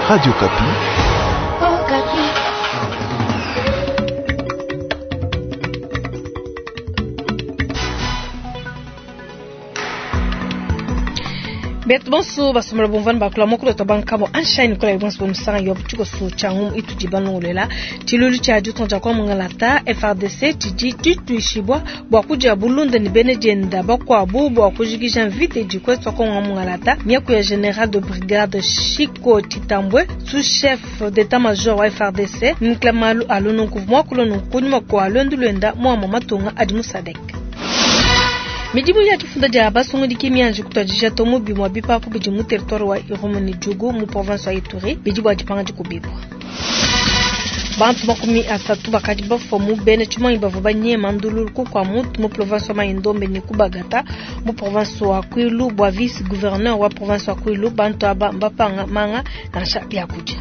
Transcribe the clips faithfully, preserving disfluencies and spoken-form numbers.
Radio Okapi. Betu bonso basomola bomvana bakula mokolo to bankabo anshine kola bonso bomusanga yo tshiko so changu itudi banongolela tshilulu tsha ditonja kwa mungalata F R D C tshidi tituishibwa bwa kuja bulunda ni bene jenda bakwabu bwa kujikisha mvite dikwetwa kwa mungalata miaku ya général de brigade Chico Titambwe sous-chef d'état-major wa F R D C mklamalu alunu kuvumwa kulonu kunyuma kwa lwendu lwenda mwa matunga adimu Sadek. Midimu ya tufunda dia basungu diki mianji kutwadisha tomu bimwa bipapu bidi mu territoire wa Irumu ni Djugu mu province wa Ituri bidi bwa dipanga dikubibwa. Bantu makumi asatu bakadi bafwa mu bene tshimanyi bavua banyema ndululu ku kwa mutu mu province wa Mai-Ndombe ni Kubagata mu province wa Kwilu bwa vice gouverneur wa province wa Kwilu bantu aba mbapanga manga nansha byakudia.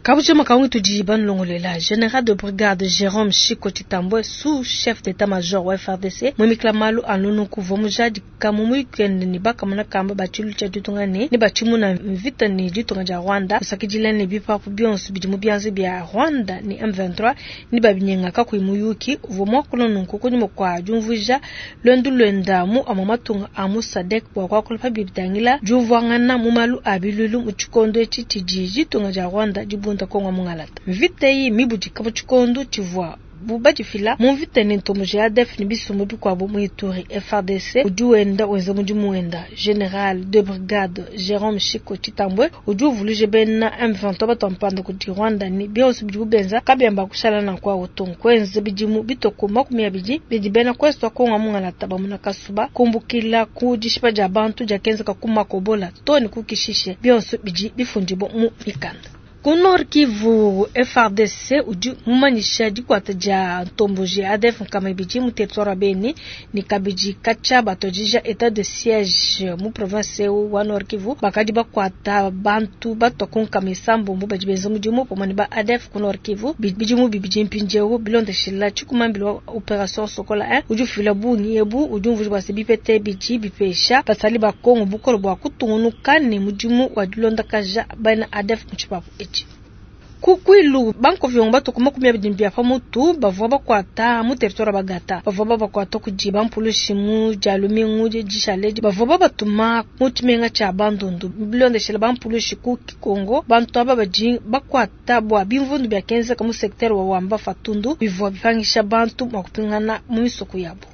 Kabuche makaungi tudi banlongolela général de brigade Jérôme Chico Titambwe sous-chef d'état-major wa F R D C mwimikla malu alunu kuvomujadi kamumu ikende ni bakamuna kamba bachilu cha ditunga ne ni bachimuna mvita ni ditunga ja Rwanda kusakidila ne bipapu bionso bidi mu byanze bya Rwanda ni M vingt-trois ni babinyenga kakuimuyuki uvomwa kulonu kukunyuma kwa jumvuja lwendu lwenda mu amamatunga amu Sadek bwa kwa kulpa bibitangila juvwangana mu malu abilulu mu chikondo echi tiji ditunga ja Rwanda dibunda Kongo mungalata mvita iyi mibudika mu tshikondo tshivua bubadifila mu mvita ni ntomo ya A D F ni bisumbu bikuabu mu Ituri F R D C udi wenda wenza mudimu wenda général de brigade Jérôme Chico Titambwe udi uvuluje bena M vingt-trois batampanda kudi Rwanda ni bionso bidi bubenza kabyamba kushala na kwa otongo kwenza bidimu bitoko makumi abidi bidi bena kwestwa Kongo mungalata bamuna kasuba kumbukila ku dishipa dia bantu dia kenzeka ku makobola toni kukishishe bionso bidi bifundibo mu mikanda. Ku Nord Kivu F R D C udi mumanyisha dikwata dia ntomboji A D F nkama ibidi mu territoire wa Beni ni kabidi kacha batojija état de siège mu province wa Nord Kivu bakadi bakwata bantu batwa ku nkama isambombo badi benza mudimu pamwe ne ba A D F ku Nord Kivu bidimu bibidi mpindieu bilondeshila tshikumambila wa opération Sokola un udi ufila bungi ebu udi umvuja bua se bipete bidi bipesha basali ba Kongo bukolo bua kutungunuka ne mudimu wa dilondakaja bana A D F mu tshipapu etshi. Kukwilu banko vyongo batu makumi abidi mbia pa mutu bavua bakwata mu territoire bagata bavua bakwata kudi bampulushi mu dia lumingu dishale bavua babatuma mu tshimenga tshia Bandundu bilondeshela bampulushi ku Kikongo bantu aba badi bakwata bua bimvundu bia kenzeka mu secteur wa Wamba Fatundu bivua bipangisha bantu mua kupingana mu misoko yabo.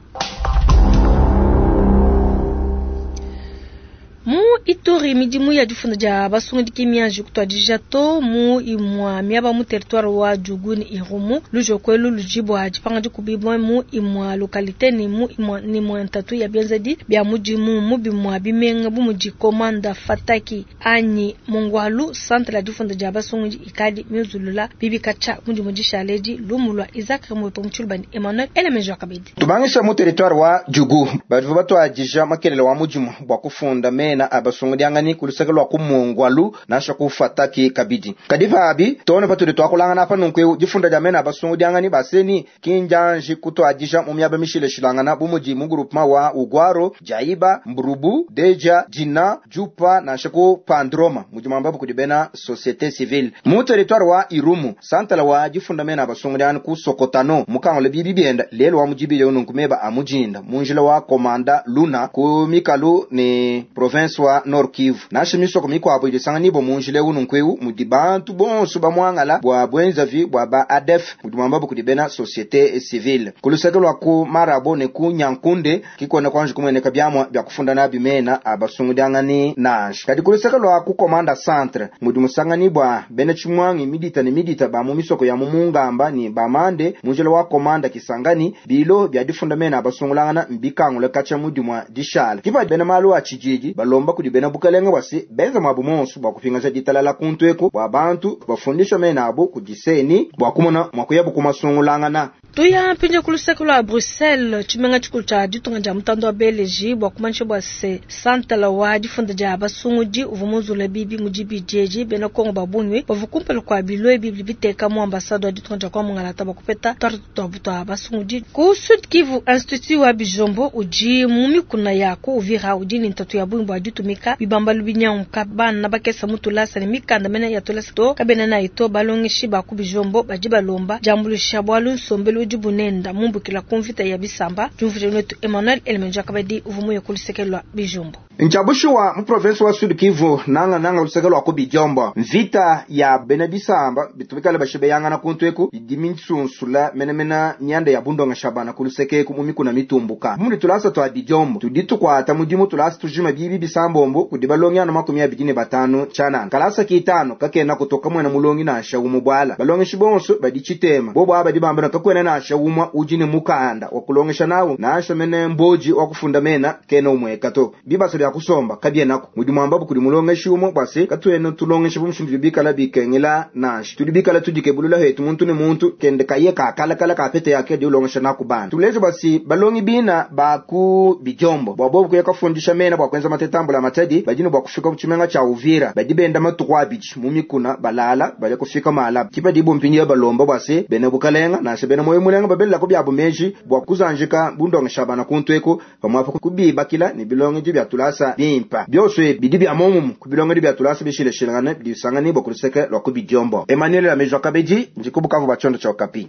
Mu Ituri midimu ya difunda dia basungu diki mianji kutwadija to mu imwa miaba mu territoire wa Djugu ni Irumu lujokwelu lujibwa dipanga dikubibwa mu imwa localité ni mu imwa ni mwa ntatu ya bienzedi bya mudimu mu bimwa bimenga bu mudi komanda Fataki anyi Mongwalu centre la difunda dia basungu ikadi miuzulula bibikacha mudimu dishaledi lumulwa Isaac Mwepo Mchulubani Emmanuel Elemejo Kabedi tubangisha mu territoire wa Djugu badivu batwadija makelele wa mudimu bwa kufunda me na abasungu diangani kulusaka lwa kumongwalu nasha kufataki kabidi kadiva abi tone patuli twakulangana apa nunku difunda dia mena abasungu diangani baseni kinjanji kutwadija mu miaba mishile shilangana bumudi mu groupement wa Ugwaro Jaiba Mbrubu Deja Jina Jupa nasha ku Pandroma mujima mbabu kudibena société civile mu territoire wa Irumu santala wa difunda mena abasungu diangani ku Sokotano mukangole bibi bienda lelo wa mujibile nunku meba amujinda munjila wa komanda Luna ku mikalu ni province wa Nord Kivu nashe misoko mikwabo ilisanga nibo munjile ununkweu mudi bantu bonso bamwangala bwa bwenzavi bwa ba A D F mudi mwambabu kudibena société civile kuluseke lwa ku Marabo ne ku Nyankunde kikone kwanje kumweneka byamwa bya kufunda na bimena abasungu dyangani nashe kadi kuluseke lwa ku komanda centre mudi musangani bwa bene chimwangi midita ne midita ba mu misoko ya mumungamba ni bamande munjile wa komanda Kisangani bilo bya difunda mena abasungulangana mbikangule kacha mudi mwa dishala kipa bene malu a chijiji balomba kudibena bukalenga bwasi benza mwabu monso bwa kupingaza ditalala kuntweko bwa bantu bafundisha mena abo kudiseni bwa kumona mwakuyabu kumasungulangana. Tuya mpindieu ku luseke lua Bruxelles, tshimenga tshikulu tshia ditunga dia mutanda wa Beleji bua kumanyisha bua se santala wa difunda dia basungudi uvua munzula bibi mu dibidi edi bena Kongo ba bungi bavua kumpala kua bilo ebi bidi biteka mu ambasade wa ditunga dia kwa mungalata bua kupeta tuarte tuabu tua basungudi. Ku Sud Kivu, Institut wa Bijombo udi mu mikuna ya ku Uvira udi ne ntatu ya bungi bua ditumika bibambalu binyanguka bana bakesa mu tulasa ne mikanda mene ya tulasa to kabena nayi to balongeshi ba ku Bijombo badi balomba diambuluisha bualu nsombelu udi bunenda mumbukila ku mvita ya bisamba. Diumvuija netu Emmanuel Elemenja Kabadi uvua muye ku luseke lua Bijombo. Nchabushuwa mu province wa Sud Kivu nanga nanga luseke lwa ku Bijombo mvita ya bena bisamba bitumikale bashibeyangana kuntu eku idi minsunsula menemena nyanda ya bundonga shabana ku luseke eku mu mikuna mitumbuka muli tulasa twa Bijombo tudi tukwata mudimu tulasa tujima bibi bisambombo kudi balongi anu makumi abidi ne batanu chanana kalasa kitano kakena kutoka mwena mulongi nansha umubwala balongeshi bonso badi chitema bobo abadi bambana kakwena nansha umwa udi ne mukanda wa kulongesha nawo nansha mene mboji wa kufunda mena kena umweka to bibaso bya kusomba kabyenako mudi mwamba kuli mulongeshi umwe bwase katwene tulongesha bumushindu bikala bikengela nansha tudi bikala tudikebulula hetu muntu ne muntu kende kaye kakalakala kapete yake di ulongesha naku bana tuleje basi balongi bina baku Bijombo bwa bobu kuya kafundisha mena bwa kwenza matetambula matadi badini bwa kufika kuchimenga cha Uvira badi benda matuku abidi mu mikuna balala bali kufika mala kipa dibo mpinyi balomba bwase bene bukalenga nashe bene moyo mulenga babella ko byabo meji bwa kuzanjika bundongesha bana kuntweko pamwapo kubibakila ni bilongi bya tulasa bimpa byose bidi bya momumu kubilongi bya tulasa bishileshilangana bidisangani bwa kuluseke lwa ku Bijombo. Emmanuel Amejo Kabeji njikubukavu bachondo cha Okapi.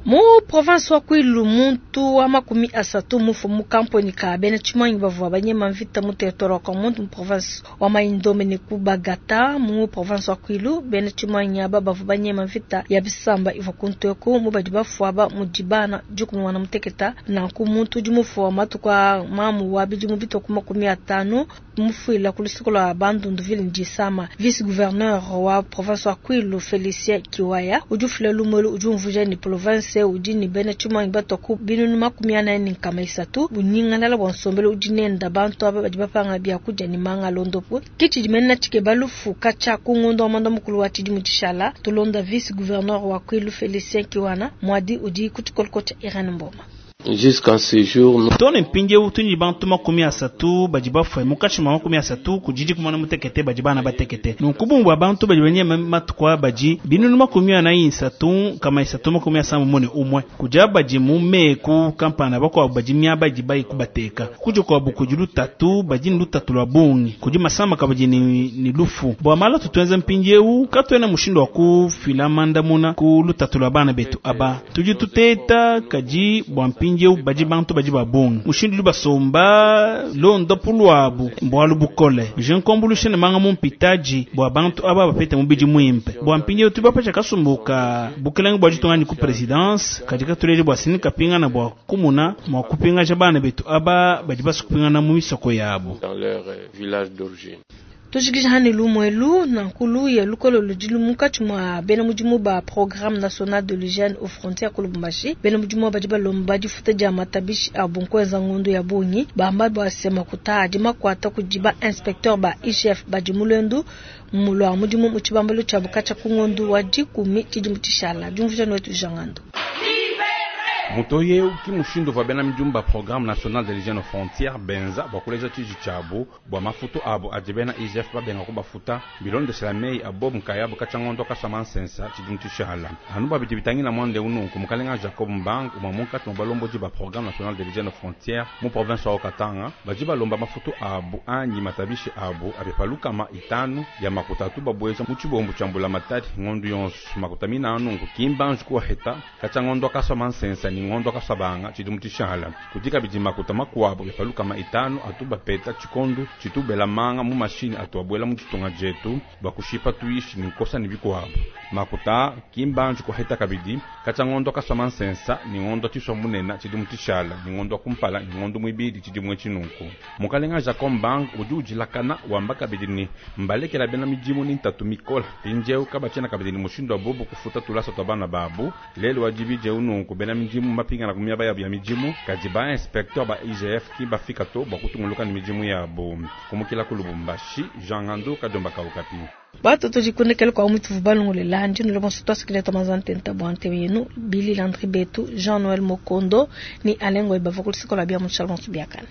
Mu province wa Kwilu muntu wa makumi asatu mufu mu kamponi ka bena tshimanyi bavua banyema mvita mu territoire wa Kwamuntu mu province wa Mai-Ndombe ne ku Bagata mu province wa Kwilu bena tshimanyi aba bavua banyema mvita ya bisamba ivua kunteku mu badi bafua ba mu dibana dikumi wana muteketa nanku muntu udi mufu wa matuku a mamu wa bidimu bitwa ku makumi atanu mufuila ku lusiko lwa Bandundu ville ndisama. Vice gouverneur wa province wa Kwilu Felicien Kiwaya udi ufila lumelu udi umvuija ni province udi ni bena tshimanyi batwa ku binunu makumi anayi ne nkama isatu bunyingalala bua nsombelu udi nenda bantu aba badi bapanga biakudia ne manga londopu kitshidi mena tshikeba lufu katshia ku ngondo wa mwanda mukulu wa tshidimu tshishala. Tulonda vice gouverneur wa Kwilu Felicien Kiwana mwadi udi ku tshikoloko tshia Irene Mboma. Jusqu'à ce jour, tone mpindieu tudi bantu makumi asatu badi bafue munkatshi mua makumi asatu kudidi kumana mutekete badi bana batekete nunku bumbu bantu badi banyema matuku badi binunu makumi anayi isatu kama isatu makumi asamba mune umwe kuja badi mu meku kampana bakuabu badi miaba idi bayi kubateka kuja kuabu kudi lutatu badi ni lutatu lwa bungi kudi masamba kabadi ni, ni lufu bua mala tutuenza mpindieu katuena mushindu wa kufila mandamuna ku lutatu lwa bana betu aba tudi tuteta kadi bua mpindieu badi bantu badi babungi mushindu udi basomba londo pulwabu mbwalu bukole je nkombulushe ne manga mumpitaji bua bantu aba bapete mubidi mwimpe bua mpindieu tudi bapesha kasumbuka bukelenge bua ditungani ku presidence kadi katulele bua sini kapingana bua kumuna mua kupingaja bana betu aba badi basukupingana mu misoko yabo dans leur village d'origine. Tujikija hani lumwelu na nkulu ya lukolo ludi munkatshi mua bena mudimu ba programme national de l'hygiène aux frontières ku Lubumbashi bena mudimu badi balomba difuta dia matabishi a bunkweza ngundu ya bungi bamba bua se makuta adi makuata kudi ba inspecteur ba I G F badi mulendu mulwa mudimu mu tshibambalu tshia bukatshia ku ngondu wa dikumi tshidimu tshishala. Diumvuija netu Jangando. Mutoye ki mushindu va bena midimu ba programme national de l'hygiène aux frontières benza bua kuleja tshiji tshiabu bua mafutu abu adi bena I G F babenga kubafuta bilondeshela meyi abo nkayabu katshia ngondo kasama nsensa tshidimu tshishala anu babidi bitangila mwande ununku mukalenga Jacob Mbang umwa munkatshi mua balombodi ba programme national de l'hygiène aux frontières mu province wa Katanga badi balomba mafutu abu anyi matabishi abu abe palukama itanu ya makuta atu babweza mu tshibombu tshia mbula matadi ngondu yonso makuta mina anunku kimbanji kuwaheta katshia ngondo kasama nsensa ni ngondo kasabanga tshidimu tshishala kudika bidi makuta makuabu byapaluka itanu atu bapeta tshikondu tshitubela manga mu mashini atu abwela mu tshitunga dietu bakushipa tuishi ni nkosa ni bikuabu makuta kimbanji kuheta kabidi katshia ngondo kasama nsensa ni ngondo tshiswa munena tshidimu tshishala ni ngondo kumpala ni ngondo mwibidi tshidimu tshinunku mukalenga Jacob Mbang udi ujilakana wamba kabidi ni mbalekela bena midimu ni ntatu mikola pinjeu kabatshiena kabidi ni mushindu wa bobu kufuta tulasa twa bana babu lelo wa dibidi ununku bena midimu midimu mbapingana ku miaba yabu ya midimu, kadi ba inspecteur ba I G F ki bafika to bua kutunguluka ne midimu yabu. Kumukila ku Lubumbashi, Jean Ngandu, Kadiomba ka Okapi. Bato tudikunekele kwa mutu balongolela ndino bonso twasikile twamazantenta bwa ntebe yenu Billy Landry Betu, Jean Noël Mokondo ni Alengo ebava kulisikola bia mutshala bonso biakana.